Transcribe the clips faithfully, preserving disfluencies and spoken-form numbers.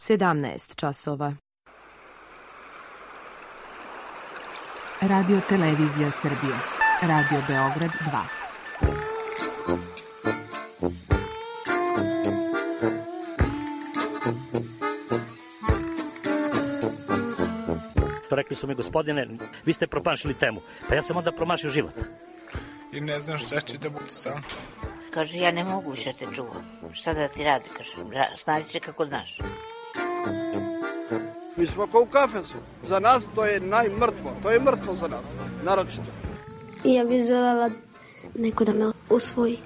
sedamnaest časova. Radio Televizija Srbije. Radio Beograd dva. Rekli su mi, gospodine, vi ste promašili temu. Pa ja sam onda promašio život. I ne znam šta će da bude sam. Kaže, ja ne mogu više te čuvam. Šta da ti radi, kaže, snađi se kako znaš. Mi smo kao u kafesu. Za nas to je najmrtvo. To je mrtvo za nas, naročito. I ja bih želela neko da me usvoji.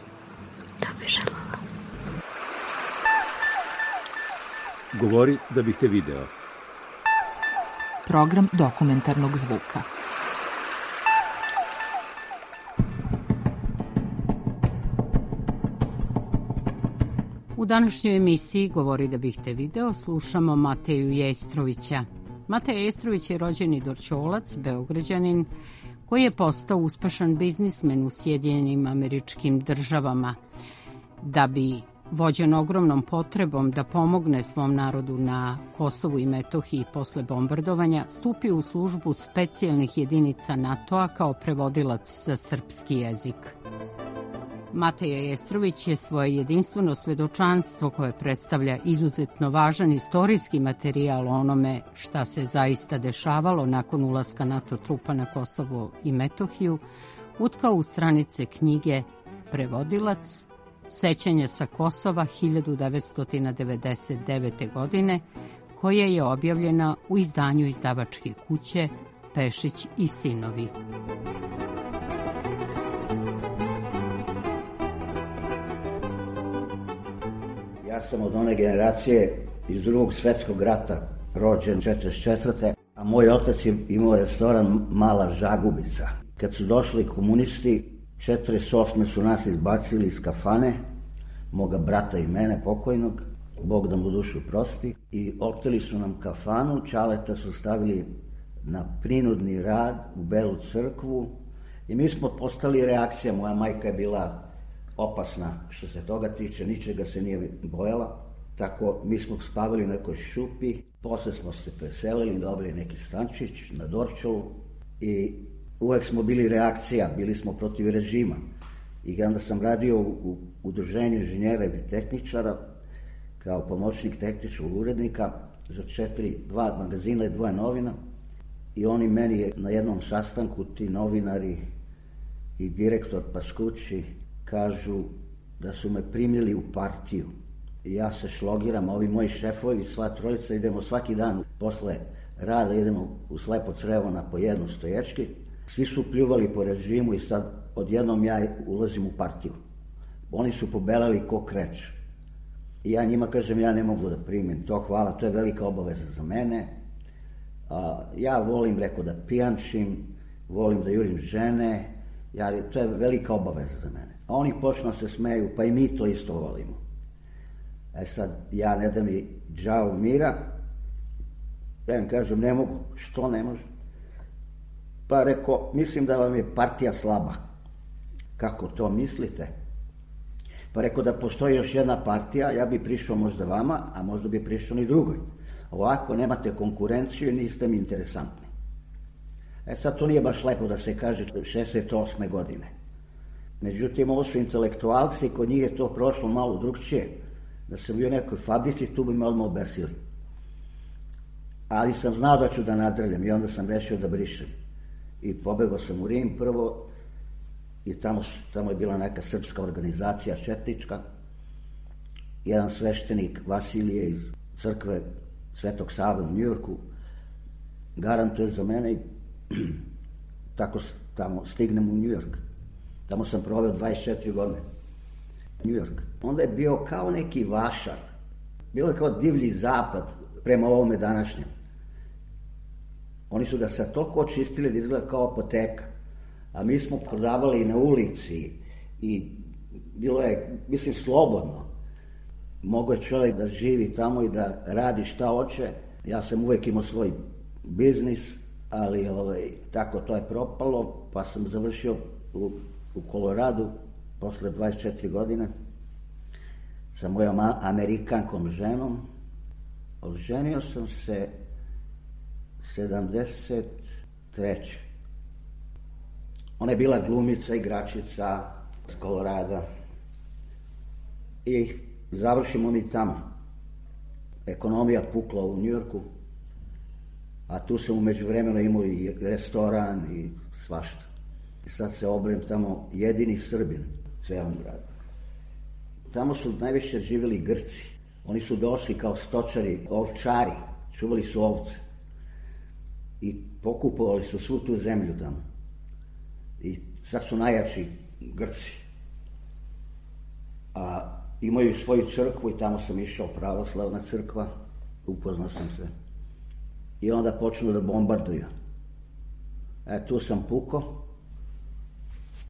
Da bih želela. Govori da bih te video. Program dokumentarnog zvuka. U današnjoj emisiji Govori da bih te video slušamo Mateju Jestrovića. Mateja Jestrović je rođeni Dorćolac, Beograđanin, koji je postao uspešan biznismen u Sjedinjenim Američkim Državama. Da bi vođen ogromnom potrebom da pomogne svom narodu na Kosovu i Metohiji posle bombardovanja, stupio u službu specijalnih jedinica NATO-a kao prevodilac za srpski jezik. Mateja Jestrović je svoje jedinstveno svedočanstvo koje predstavlja izuzetno važan istorijski materijal o onome šta se zaista dešavalo nakon ulaska NATO trupa na Kosovo i Metohiju, utkao u stranice knjige Prevodilac, Sećanja sa Kosova hiljadu devetsto devedeset devete. godine, koja je objavljena u izdanju izdavačke kuće Pešić i sinovi. Ja sam od one generacije iz drugog svjetskog rata, rođen četrdeset četvrte. a moj otac je imao restoran Mala Žagubica. Kad su došli komunisti, četrdeset osme su nas izbacili iz kafane, moga brata i mene pokojnog, Bog da mu dušu prosti, i oteli su nam kafanu, Čaleta su stavili na prinudni rad u Belu crkvu i mi smo postali reakcija. Moja majka je bila opasna što se toga tiče, ničega se nije bojala, tako mi smo spavali u nekoj šupi, posle smo se preselili, dobili neki stančić na Dorćolu i uvek smo bili reakcija, bili smo protiv režima. I onda sam radio u udruženju inženjera i tehničara kao pomoćnik tehničkog urednika za četiri, dva magazina i dvoje novina. I oni meni je na jednom sastanku, ti novinari i direktor Paskući, kažu da su me primili u partiju. I ja se šlogiram, ovi moji šefovi, sva trojica, idemo svaki dan posle rada, idemo u Slepo Crevo na po jednu stoječki. Svi su pljuvali po režimu i sad odjednom ja ulazim u partiju. Oni su pobelali ko kreć. I ja njima kažem, ja ne mogu da primim to, hvala, to je velika obaveza za mene. A, ja volim, rekao, da pijančim, volim da jurim žene, ja, to je velika obaveza za mene. A oni počnu da se smeju, pa i mi to isto volimo. E sad, ja ne da mi džao mira, ja im kažem, ne mogu, što ne može? Pa rekao, mislim da vam je partija slaba. Kako to mislite? Pa rekao, da postoji još jedna partija, ja bi prišao možda vama, a možda bi prišao ni drugoj. Ovako, nemate konkurenciju i niste mi interesantni. E sad, to nije baš lepo da se kaže šezdeset osme godine. Međutim, ovo su intelektualci, kod njih je to prošlo malo drugčije. Da sam bio u nekoj fabrici, tu bi me odmah obesili. Ali sam znao da ću da nadrljam i onda sam rešio da brišem. I pobegao sam u Rim prvo i tamo, tamo je bila neka srpska organizacija četnička. Jedan sveštenik Vasilije iz crkve Svetog Save u Njujorku garantuje za mene i tako tamo stignem u Njujork. Tamo sam proveo dvadeset četiri godine. Njujork. Onda je bio kao neki vašar. Bilo je kao divlji zapad prema ovome današnjem. Oni su ga sad toliko očistili da izgleda kao apoteka. A mi smo prodavali na ulici i bilo je, mislim, slobodno. Mogo je čovjek da živi tamo i da radi šta hoće. Ja sam uvek imao svoj biznis, ali ovaj, tako to je propalo, pa sam završio u, u Koloradu posle dvadeset četiri godine sa mojom amerikankom ženom Oženio sam se sedamdeset treće Ona je bila glumica, igračica iz Kolorada i završimo mi tamo. Ekonomija pukla u Njujorku, a tu sam u međuvremenu imao i restoran i svašta. I sad se obrem tamo jedini Srbin u celom gradu. Tamo su najviše živjeli Grci. Oni su došli kao stočari, ovčari, čuvali su ovce i pokupovali su svu tu zemlju tamo. I sad su najjači Grci. A imaju svoju crkvu i tamo sam išao, pravoslavna crkva, upoznao sam se. I onda počnu da bombarduju. E, tu sam pukao.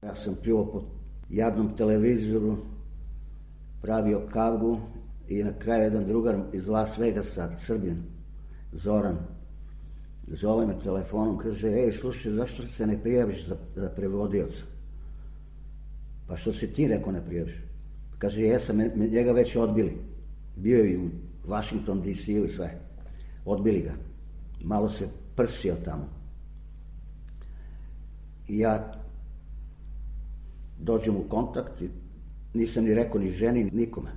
Ja sam pljuvao po jadnom televizoru, pravio kavgu i na kraju jedan drugar iz Las Vegasa, Srbin, Zoran, zove me telefonom, kaže, ej, slušaj, zašto se ne prijaviš za, za prevodioca? Pa što si ti, rekao, ne prijaviš? Kaže, jesam, njega već odbili. Bio je i u Washington D C i sve. Odbili ga. Malo se prsio tamo. I ja dođem u kontakt i nisam ni rekao ni ženi, nikome.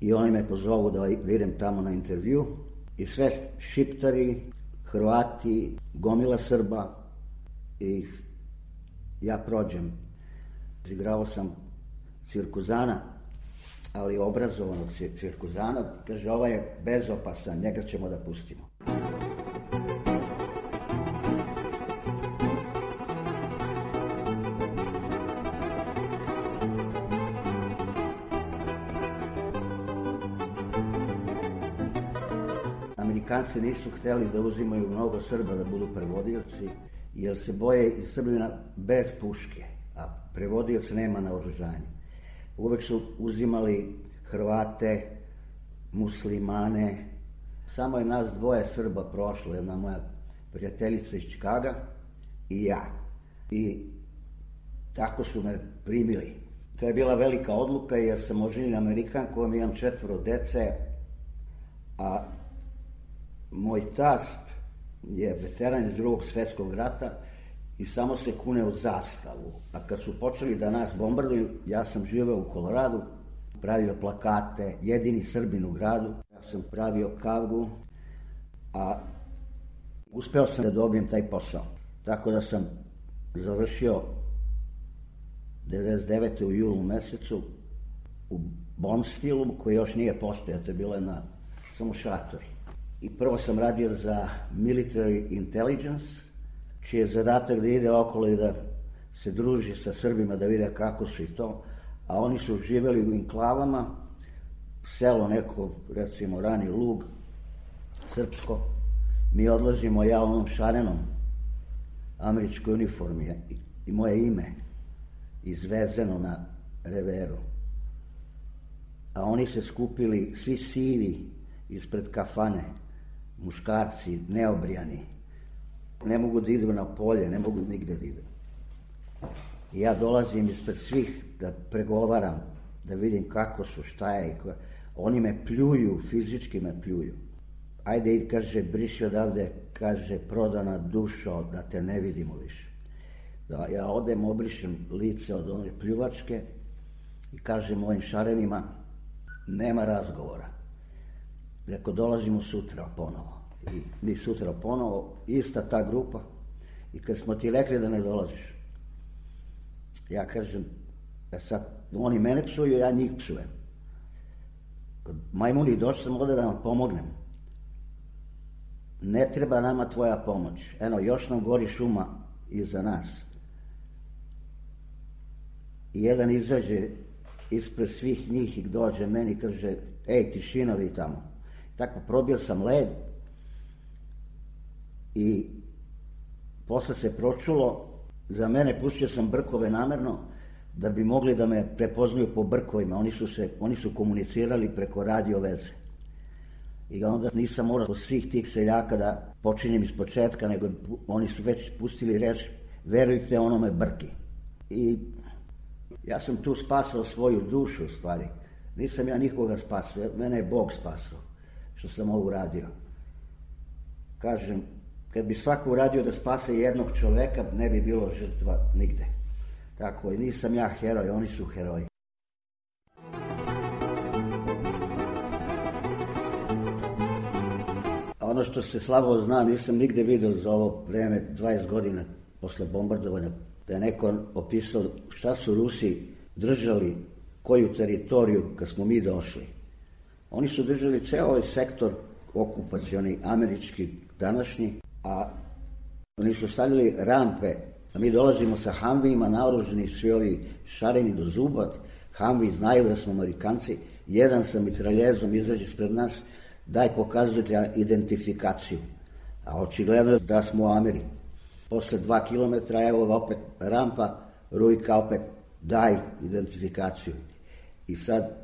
I oni me pozovu da idem tamo na intervju i sve Šiptari, Hrvati, gomila Srba i ja prođem. Igrao sam cirkuzana, ali obrazovanog cirkuzana. Kaže, ovaj je bezopasan, njega ćemo da pustimo. Amerikanci nisu htjeli da uzimaju mnogo Srba da budu prevodioci, jer se boje iz Srbina bez puške, a prevodioc nema naoružanje. Uvek su uzimali Hrvate, muslimane. Samo je nas dvoje Srba prošlo, jedna moja prijateljica iz Čikaga i ja. I tako su me primili. To je bila velika odluka jer sam oženjen Amerikankom, imam četvoro dece, a moj tast je veteran iz drugog svjetskog rata i samo se kune u zastavu. A kad su počeli da nas bombarduju, ja sam živeo u Koloradu, pravio plakate, jedini Srbin u gradu. Ja sam pravio kavgu, a uspeo sam da dobijem taj posao. Tako da sam završio devedeset devete u julu mesecu u Bonstilu, koji još nije postojao, to je bilo jedna samo šatori. I prvo sam radio za Military Intelligence, čiji je zadatak da ide okolo i da se druži sa Srbima, da vide kako su i to. A oni su živjeli u enklavama, selo neko, recimo Rani Lug, srpsko. Mi odlazimo, ja u onom šarenom američkoj uniformi i, i moje ime izvezeno na reveru. A oni se skupili, svi sivi, ispred kafane, muškarci, neobrijani. Ne mogu da idu na polje, ne mogu nigde da idu. I ja dolazim ispred svih da pregovaram, da vidim kako su, šta je. I ko... Oni me pljuju, fizički me pljuju. Ajde, i kaže, briši odavde, kaže, prodana dušo, da te ne vidimo više. Da, ja odem, obrišem lice od one pljuvačke i kažem mojim šarenima, nema razgovora. Reko, dolazimo sutra ponovo. I mi sutra ponovo, ista ta grupa. I kad smo ti rekli da ne dolaziš, ja kažem, ja sad, oni mene psuju, ja njih psujem. Kod majmuni došli sam ovdje da vam pomognem. Ne treba nama tvoja pomoć. Eno, još nam gori šuma iza nas. I jedan izađe ispred svih njih i dođe meni i kaže, ej, tišina vi tamo. Tako probio sam led i posle se pročulo, za mene pustio sam brkove namerno da bi mogli da me prepoznaju po brkovima. Oni su, se, oni su komunicirali preko radio veze. I onda nisam morao od svih tih seljaka da počinjem iz početka, nego oni su već pustili reč, verujte onome brki. I ja sam tu spasao svoju dušu u stvari. Nisam ja nikoga spasao, mene je Bog spasao. što sam ovo uradio. Kažem, kad bi svako uradio da spase jednog čoveka, ne bi bilo žrtva nigde. Tako, i nisam ja heroj, oni su heroji. Ono što se slabo zna, nisam nigde vidio za ovo vreme, dvadeset godina posle bombardovanja, da je neko opisao šta su Rusi držali, koju teritoriju kad smo mi došli. Oni su držali ceo ovaj sektor okupacioni, američki, današnji, a oni su stavljali rampe, a mi dolazimo sa Humveeima naoruženi, svi ovi šareni do zuba, Humvee znaju da smo Amerikanci, jedan sa mitraljezom izađe ispred nas, daj pokazujete identifikaciju, a očigledno je da smo u Ameri. Posle dva kilometra, evo opet rampa, Rujka opet, daj identifikaciju. I sad,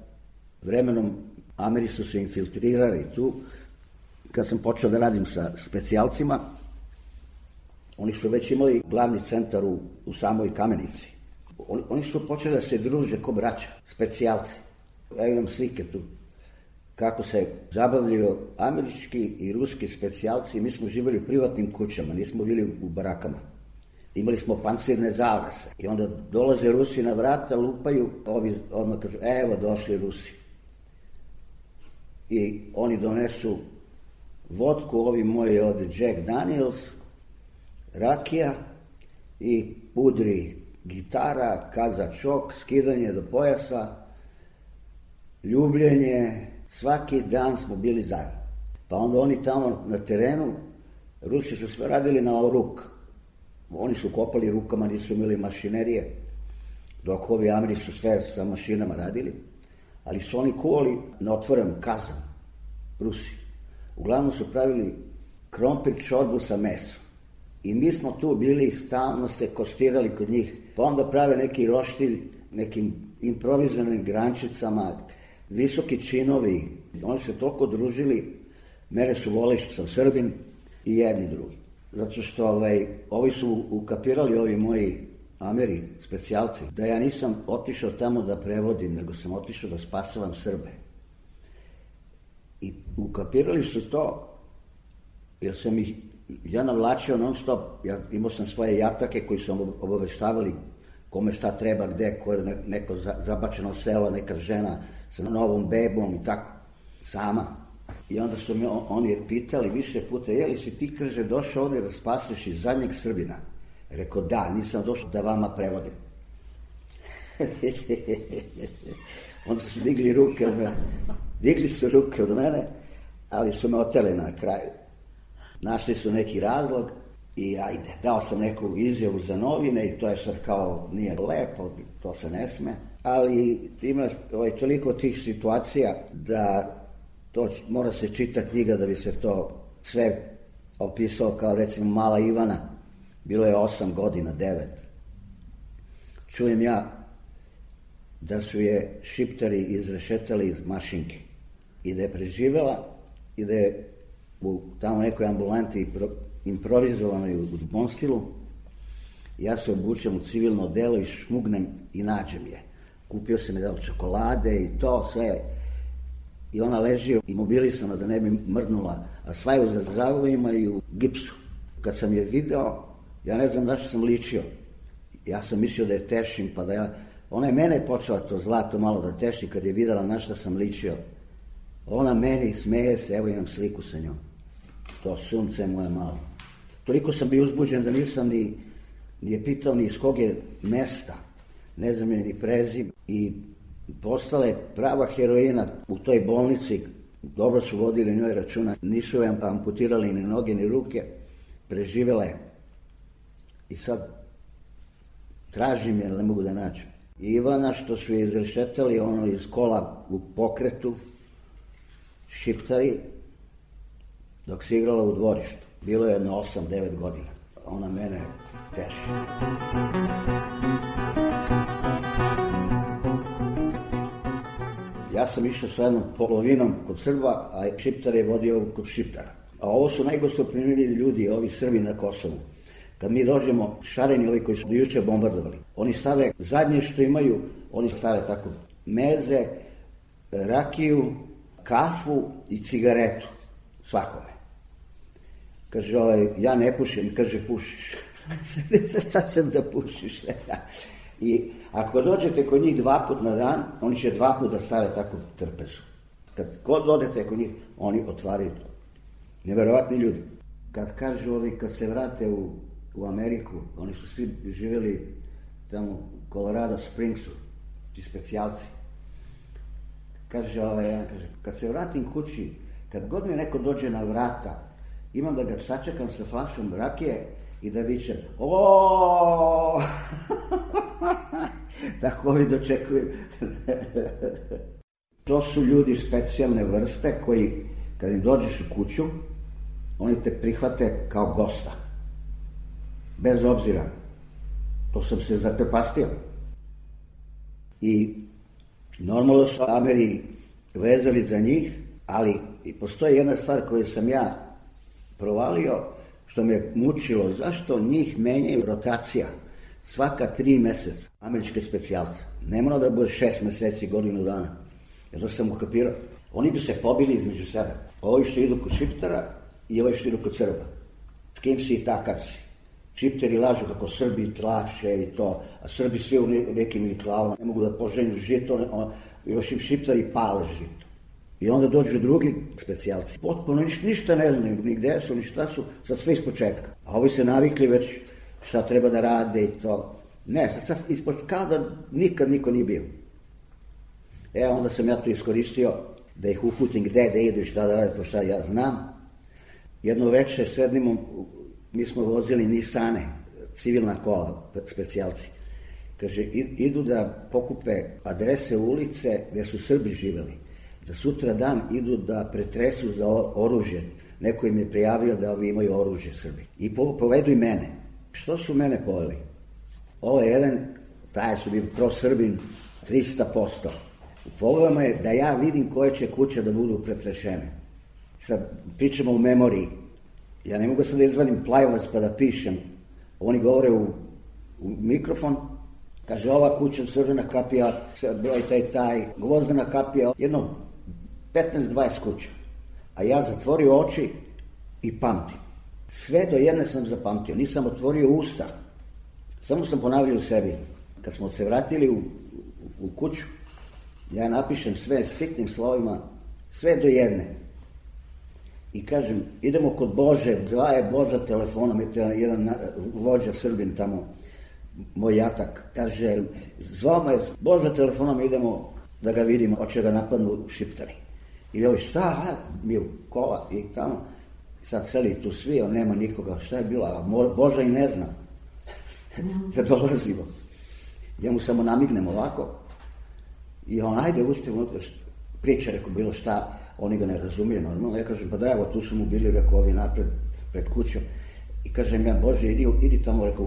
vremenom, Ameri su se infiltrirali tu. Kad sam počeo da radim sa specijalcima, oni su već imali glavni centar u, u samoj Kamenici. Oni, oni su počeli da se druže ko braća, specijalci. Ja imam slike tu. Kako se zabavljaju američki i ruski specijalci, mi smo živjeli u privatnim kućama, nismo bili u barakama. Imali smo pancirne zavese i onda dolaze Rusi na vrata, lupaju, ovi odmah kažu, evo došli Rusi. I oni donesu vodku, ovi moji od Jack Daniels, rakija i pudri gitara, kazačok, skidanje do pojasa, ljubljenje, svaki dan smo bili zajedno. Pa onda oni tamo na terenu, Rusi su sve radili na ruk. Oni su kopali rukama, nisu imali mašinerije, dok ovi Ameri su sve sa mašinama radili, ali su oni kuvali na otvoren kazan, Rusi. Uglavnom su pravili krompir čorbu sa mesom. I mi smo tu bili i stalno se kostirali kod njih, pa onda prave neki roštilj, nekim improvizovanim grančicama, visoki činovi. Oni se toliko družili, mene su voleli što sam Srbin i jedni drugi. Zato što ovaj, ovi su ukapirali, ovi moji Ameri, specijalci, da ja nisam otišao tamo da prevodim, nego sam otišao da spasavam Srbe. I ukapirali su to, jer sam ih, ja navlačio non stop, ja imao sam svoje jatake koji su obaveštavali kome šta treba, gde, ko je neko zabačeno selo, neka žena sa novom bebom i tako, sama. I onda su me oni pitali više puta, je li si ti, kaže, došao ovdje da spasiš iz zadnjeg Srbina? Rekao, da, nisam došao da vama prevodim. Onda su digli ruke od mene, digli su ruke od mene, ali su me oteli na kraju. Našli su neki razlog i ajde, dao sam neku izjavu za novine i to je sad kao, nije lepo, to se ne sme, ali ima ovaj, toliko tih situacija da to mora se čita knjiga da bi se to sve opisao, kao recimo Mala Ivana, bilo je osam godina, devet. Čujem ja da su je Šiptari izrešetali iz mašinke i da je preživela i da je u tamo nekoj ambulanti improvizovanoj u Bonstilu, ja se obučem u civilno delo i šmugnem i nađem je. Kupio sam je dao čokolade i to sve. I ona leži imobilisana da ne bi mrnula, a sva je u zazavojima i u gipsu. Kad sam je video, ja ne znam da što sam ličio. Ja sam mislio da je tešim, pa da ja... Ona je mene počela to zlato malo da teši kad je videla na što sam ličio. Ona meni smeje se, evo imam sliku sa njom. To sunce moje malo. Toliko sam bio uzbuđen da nisam ni, ni je pitao ni iz kog je mesta. Ne znam je ni prezim. I postala je prava heroina u toj bolnici. Dobro su vodili njoj računa. Nisu joj amputirali ni noge ni ruke. Preživela je. I sad tražim je, ali ne mogu da nađem. I Ivana što su je izrešetali ono iz kola u pokretu, Šiptari, dok se igrala u dvorištu. Bilo je jedno osam devet godina. Ona mene teši. Ja sam išao sa jednom polovinom kod Srba, a Šiptar je vodio kod Šiptara. A ovo su najgostoprimljeni ljudi, ovi Srbi na Kosovu. Kad mi dođemo, šareni ovi koji su juče bombardovali, oni stave zadnje što imaju, oni stave tako meze, rakiju, kafu i cigaretu svakome. Kaže, ovaj, ja ne pušim, kaže, pušiš. Šta će da pušiš? I ako dođete kod njih dva put na dan, oni će dva put da stave takvu trpezu. Kad god odete kod njih, oni otvaraju to. Neverovatni ljudi. Kad kažu ovi, kad se vrate u, u Ameriku, oni su svi živjeli tamo u Colorado Springsu, ti specijalci. Kaže, ovaj, ja, kaže, kad se vratim kući, kad god mi neko dođe na vrata, imam da ga sačekam sa flašom rakije i da vičem, oooo, tako ovi dočekuju. To su ljudi specijalne vrste koji, kad im dođeš u kuću, oni te prihvate kao gosta. Bez obzira. To sam se zaprepastio. I normalno su Ameri vezali za njih, ali i postoji jedna stvar koju sam ja provalio, što me mučilo, zašto njih menjaju rotacija svaka tri meseca, američke specijalce. Ne mora da bude šest meseci, godinu dana. Jer to sam ukapirao. Oni bi se pobili između sebe. Ovi što idu kod Šiptara i ovi što idu kod Srba. S kim si i takav si. Šipteri lažu kako Srbi tlače i to, a Srbi svi u nekim klavama ne mogu da poženju žito, još im Šiptari pale žito. I onda dođu drugi specijalci. Potpuno ništa ne znaju, ni gde su, ni šta su, sad sve ispočetka. A ovi se navikli već šta treba da rade i to. Ne, sad, sad ispočetka, kao da nikad niko nije bio. E, onda sam ja to iskoristio da ih uputim gde da idu i šta da rade, pošto ja znam. Jedno večer sednimo, mi smo vozili Nisane, civilna kola, specijalci. Kaže, idu da pokupe adrese ulice gde su Srbi živeli. Da sutra dan idu da pretresu za oružje. Neko im je prijavio da ovi imaju oružje Srbi. I povedu i mene. Što su mene poveli? Ovo je jedan, taj su bili pro-Srbin, trista posto. U pogledama je da ja vidim koje će kuće da budu pretrešene. Sad pričamo u memoriji. Ja ne mogu sad da izvadim plajvac pa da pišem. Oni govore u, u mikrofon. Kaže, ova kuća, Srđana kapija, broj taj taj, Gvozdena kapija, jedno petnaest dvadeset kuća. A ja zatvorio oči i pamtim. Sve do jedne sam zapamtio, nisam otvorio usta. Samo sam ponavljao u sebi. Kad smo se vratili u, u, u kuću, ja napišem sve sitnim slovima, sve do jedne. I kažem, idemo kod Bože, zva je Boža telefonom, je to jedan vođa Srbin tamo, moj jatak, kaže, zvao me Boža telefonom, idemo da ga vidimo, hoće ga napadnu Šiptari. I ovi, šta, mi u kola i tamo, sad seli tu svi, on nema nikoga, šta je bilo, a Boža i ne zna da dolazimo. Ja mu samo namignem ovako i on, ajde, uspimo, priča, rekao, bilo šta, oni ga ne razumiju normalno. Ja kažem, pa da, evo, tu su mu bili, rekao, ovi napred, pred kućom. I kažem ja, Bože, idi, idi tamo, rekao,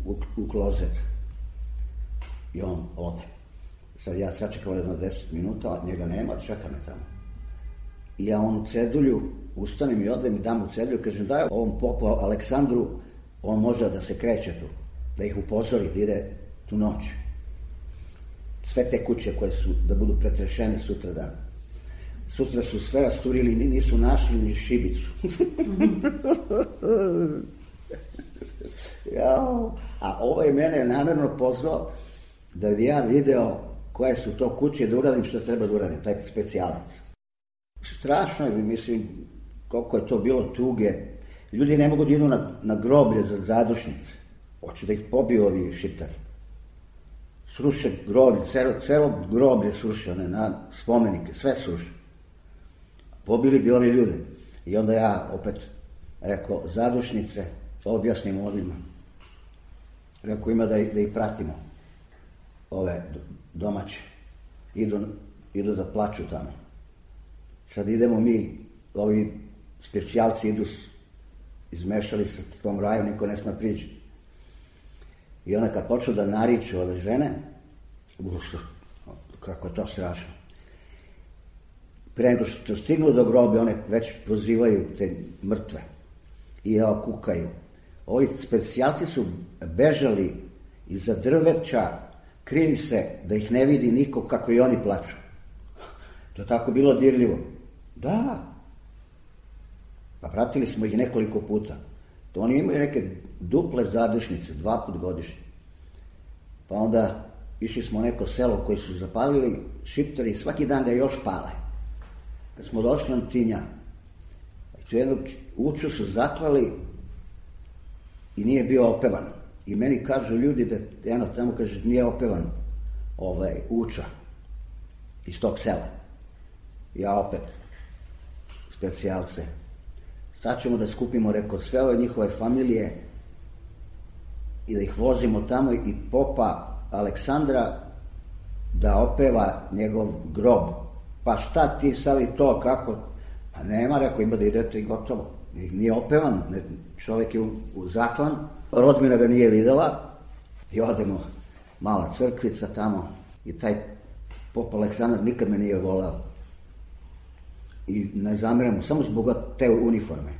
u, u klozet. I on ode. Sad ja sačekao jedno deset minuta, njega nema, čeka me tamo. I ja onu cedulju, ustanem i odem i dam mu cedulju, kažem, daj ovom popu Aleksandru, on može da se kreće tu, da ih upozori, da ide tu noć. Sve te kuće koje su, da budu pretrešene sutra dan. Sutra su sve rasturili, nisu našli ni šibicu. Jao. A ovo je mene namjerno pozvao da bi ja video koje su to kuće, da uradim što treba da uradim, taj specijalac. Strašno je, mislim, koliko je to bilo tuge. Ljudi ne mogu da idu na, na groblje za zadušnice. Hoće da ih pobiju ovi Šiptari. Sruše groblje, celo, celo groblje sruše, one, na spomenike, sve sruše. Pobili bi oni ljude. I onda ja opet rekao, zadušnice, objasnim ovima. Rekao, ima da, da ih pratimo. Ove domaće. Idu, idu da plaču tamo. Sad idemo mi, ovi specijalci idu, izmešali se s tom raju, niko ne sme pričati. I ona kad počeo da nariče ove žene, uf, kako je to strašno. Pre nego što stignu do grobe, one već prozivaju te mrtve i evo kukaju. Ovi specijalci su bežali iza drveća, krili se da ih ne vidi niko kako i oni plaču. To je tako bilo dirljivo. Da. Pa pratili smo ih nekoliko puta. To oni imaju neke duple zadušnice, dva put godišnje. Pa onda išli smo u neko selo koje su zapalili Šiptari i svaki dan ga još pale. Kad smo došli na Tinja, tu jednog Uču su zaklali i nije bio opevan. I meni kažu ljudi da jedno tamo kaže nije opevan ovaj, Uča iz tog sela. Ja opet, specijalce. Sad ćemo da skupimo, rekao, sve ove njihove familije i da ih vozimo tamo i popa Aleksandra da opeva njegov grob. Pa šta ti sad i to, kako? Pa nema, rekao, ima da idete i gotovo. Nije opevan, čovjek je u, u zaklan, Rodmina ga nije videla i odemo, mala crkvica tamo i taj pop Aleksandar nikad me nije volao. I ne zameram mu, samo zbog te uniforme.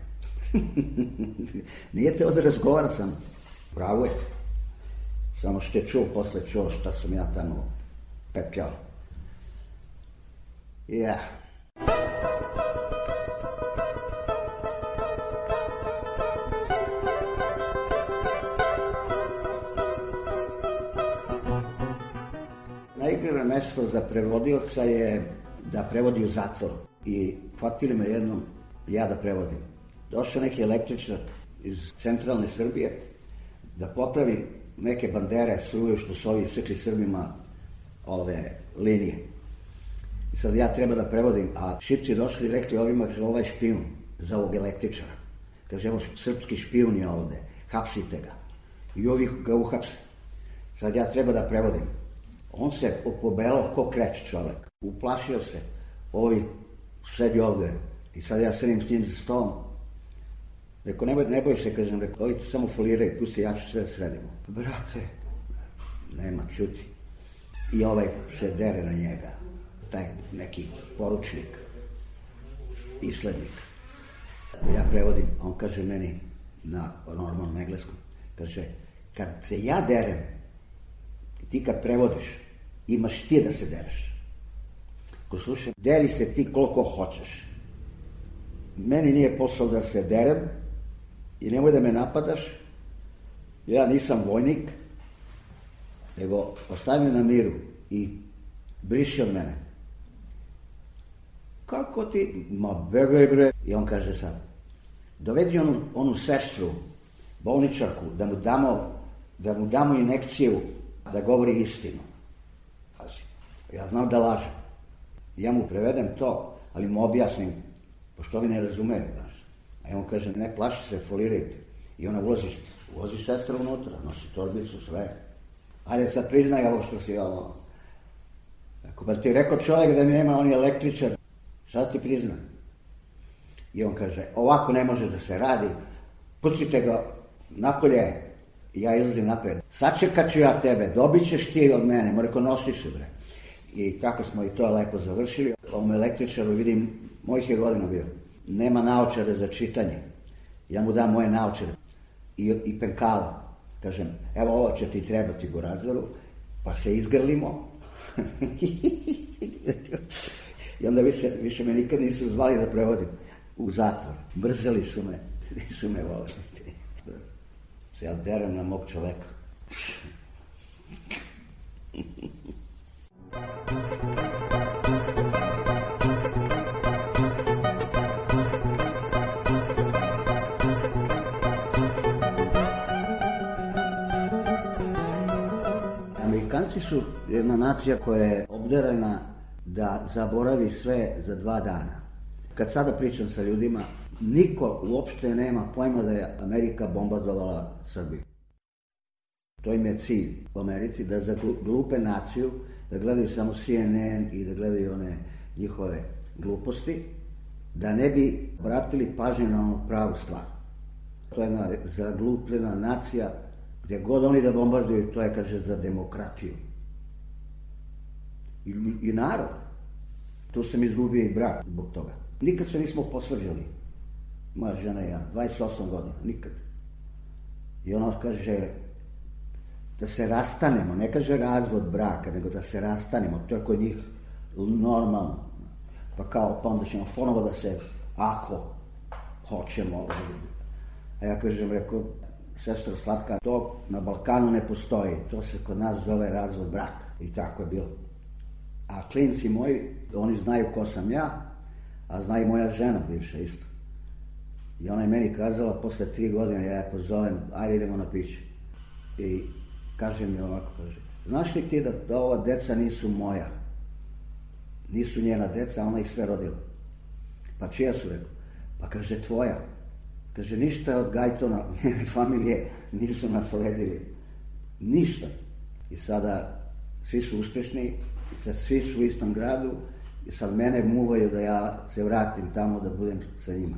Nije teo da razgovara sam. Pravo je. Samo što je čuo, posle čuo šta sam ja tamo petljao. Ja. Najgore mesto za prevodioca je da prevodi u zatvoru. I hvatili me jednom, ja da prevodim. Došao neki električar iz centralne Srbije da popravi neke bandere, struju što su ovi sekli Srbima ove linije. I sad ja treba da prevodim, a Šipci došli i rekli ovima, kaže, ovaj špijun za ovog električara. Kaže, evo srpski špijun je ovde, hapsite ga. I ovi ga uhapse. Sad ja treba da prevodim. On se pobelao ko kreć čovek. Uplašio se. Ovi sedi ovde. I sad ja sedim s njim za stolom. Rekao, ne boj, ne boj se, kažem, rekao, ovi samo foliraj, pusti, ja ću sve da sredimo. Brate, nema, čuti. I ovaj se dere na njega, taj neki poručnik, islednik. Ja prevodim, on kaže meni na normalnom engleskom, kaže, kad se ja derem, ti kad prevodiš, imaš ti da se dereš. Ko slušaj, deli se ti koliko hoćeš. Meni nije posao da se derem i nemoj da me napadaš. Ja nisam vojnik, nego ostavi me na miru i briši od mene. Kako ti? Ma begaj bre. I on kaže sad, dovedi onu, onu sestru, bolničarku, da mu damo, da mu damo injekciju, da govori istinu. Pazi, ja znam da lažem. Ja mu prevedem to, ali mu objasnim, pošto ovi ne razumeju, znaš. A on kaže, ne plaši se, folirajte. I ona ulazi, ulazi sestra unutra, nosi torbicu, sve. Ajde sad priznaj ovo što si ovo. Ako ba ti rekao čovjek da nema, on je električar, sad ti priznaj. I on kaže, ovako ne može da se radi, pucite ga napolje, i ja izlazim napred. Sačekat ću ja tebe, dobit ćeš ti od mene, mo reko, nosiš se bre. I tako smo i to lepo završili. Ovom električaru vidim, mojih je godina bio, nema naočare za čitanje. Ja mu dam moje naočare i, i penkala. Kažem, evo ovo će ti trebati Gorazaru, pa se izgrlimo. I onda više, više me nikad nisu zvali da prevodim u zatvor. Mrzeli su me, nisu me volili. Se ja derem na mog čoveka. Amerikanci su jedna nacija koja je obdarena da zaboravi sve za dva dana. Kad sada pričam sa ljudima, niko uopšte nema pojma da je Amerika bombardovala Srbiju. To im je cilj u Americi, da zaglupe naciju, da gledaju samo C N N i da gledaju one njihove gluposti, da ne bi obratili pažnju na onu pravu stvar. To je jedna zaglupljena nacija, gdje god oni da bombarduju, to je, kaže, za demokratiju. I, i narod. Tu sam izgubio i brak zbog toga. Nikad se nismo posvađali. Moja žena i ja, dvadeset osam godina, nikad. I ona kaže da se rastanemo, ne kaže razvod braka, nego da se rastanemo, to je kod njih normalno. Pa kao, pa onda ćemo ponovo da se, ako hoćemo. A ja kažem, rekao, sestro slatka, to na Balkanu ne postoji, to se kod nas zove razvod braka. I tako je bilo. A klinci moji, oni znaju ko sam ja, a zna i moja žena bivša isto. I ona je meni kazala, posle tri godine, ja je pozovem, ajde idemo na piće. I kaže mi ovako, kaže, znaš li ti da, da ova deca nisu moja? Nisu njena deca, ona ih sve rodila. Pa čija su, rekao? Pa kaže, tvoja. Kaže, ništa od Gajtona, njene familije nisu nasledili. Ništa. I sada svi su uspešni, svi su u istom gradu i sad mene muvaju da ja se vratim tamo da budem sa njima.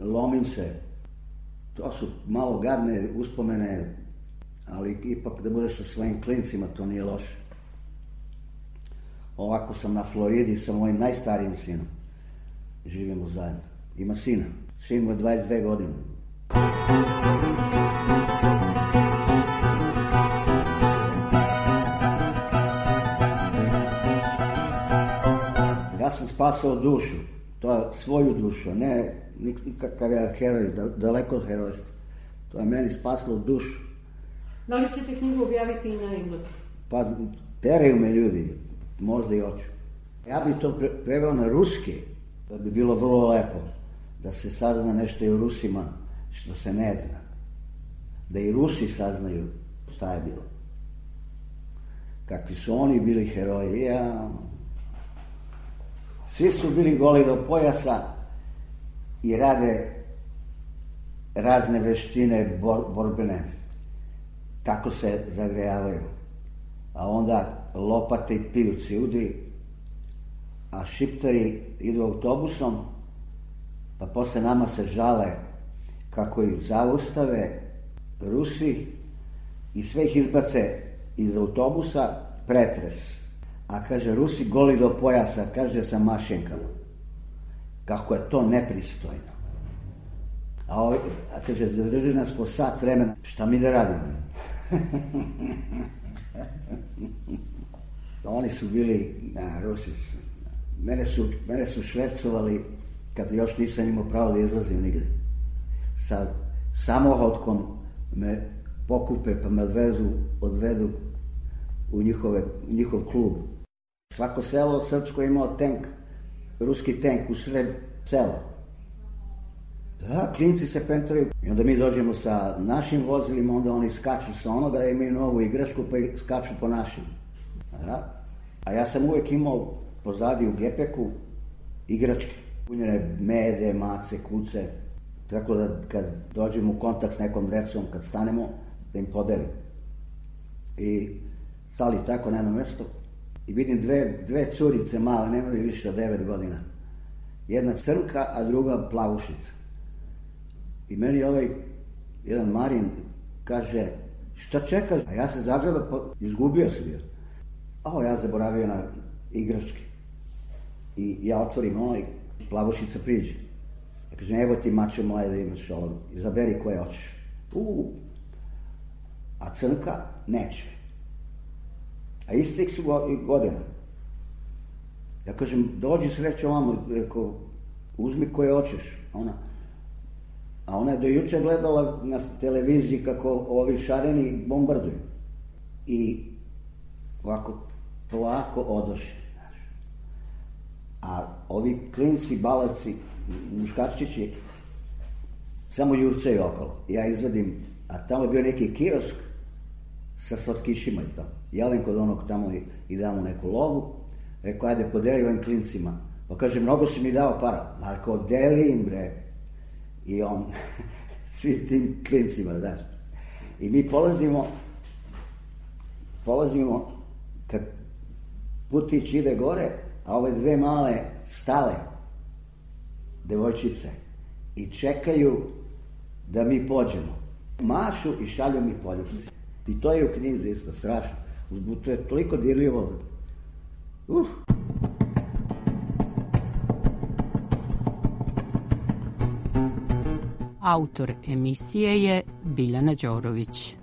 Lomim se. To su malo gadne uspomene, ali ipak da budeš sa svojim klincima, to nije loše. Ovako sam na Floridi sa mojim najstarijim sinom. Živimo zajedno. Ima sina. Sin mu je dvadeset dve godine. Ja sam spasao dušu. To je svoju dušu, ne nikakav je heroj, daleko od herojstva. To je meni spasilo dušu. Da li ćete knjigu objaviti i na engleskom? Pa teraju me ljudi, možda i hoću. Ja bih to pre preveo na ruski, da bi bilo vrlo lepo, da se sazna nešto i o Rusima što se ne zna. Da i Rusi saznaju šta je bilo. Kakvi su oni bili heroji. Ja... Svi su bili goli do pojasa i rade razne veštine bor, borbene, kako se zagrejavaju. A onda lopate i pivci udri, a šiptari idu autobusom, pa posle nama se žale kako ih zaustave Rusi i sve ih izbace iz autobusa, pretres. A kaže, Rusi goli do pojasa, kaže, sa mašenkama. Kako je to nepristojno. A, ovaj, a kaže, drži nas po sat vremena, šta mi da radimo? Oni su bili, na, Rusi su, mene su, mene su švercovali kad još nisam imao pravo da izlazim nigde. Sa samohodkom me pokupe pa me odvezu, odvedu u, njihove, u njihov klub. Svako selo srpsko je imao tank, ruski tank u sred sela. Da, klinci se pentraju. I onda mi dođemo sa našim vozilima, onda oni skaču sa onoga da imaju novu igračku pa skaču po našim. Da. A ja sam uvek imao pozadi u gepeku igračke. Punjene mede, mace, kuce. Tako da kad dođemo u kontakt s nekom decom, kad stanemo, da im podelim. I stali tako na jedno mesto i vidim dve, dve curice male, nemaju više od devet godina. Jedna crnka, a druga plavušica. I meni ovaj jedan Marin kaže, šta čekaš? A ja se zagreba, pa izgubio sam je. A ja zaboravio na igračke. I ja otvorim ono i plavušica priđe. Ja kažem, evo ti mače moje da imaš ovo, izaberi koje hoćeš. Uuu. A crnka neće. A istih su godina. Ja kažem, dođi sreće ovamo, rekao, uzmi koje hoćeš. Ona. A ona je do juče gledala na televiziji kako ovi šareni bombarduju. I ovako polako odoše. A ovi klinci, balavci, muškarčići samo jurcaju okolo. Ja izvadim, a tamo je bio neki kiosk sa slatkišima i to. Jelen kod onog tamo i, i damo neku lovu. Rekao, ajde, podeli ovim klincima. Pa kaže, mnogo si mi dao para. Marko, deli im, bre. I on, svi tim klincima, daš. I mi polazimo, polazimo, kad putić ide gore, a ove dve male stale devojčice i čekaju da mi pođemo. Mašu i šalju mi poljubice. I to je u knjizi isto, strašno. To je toliko dirljivo. Uf. Autor emisije je Biljana Đorović.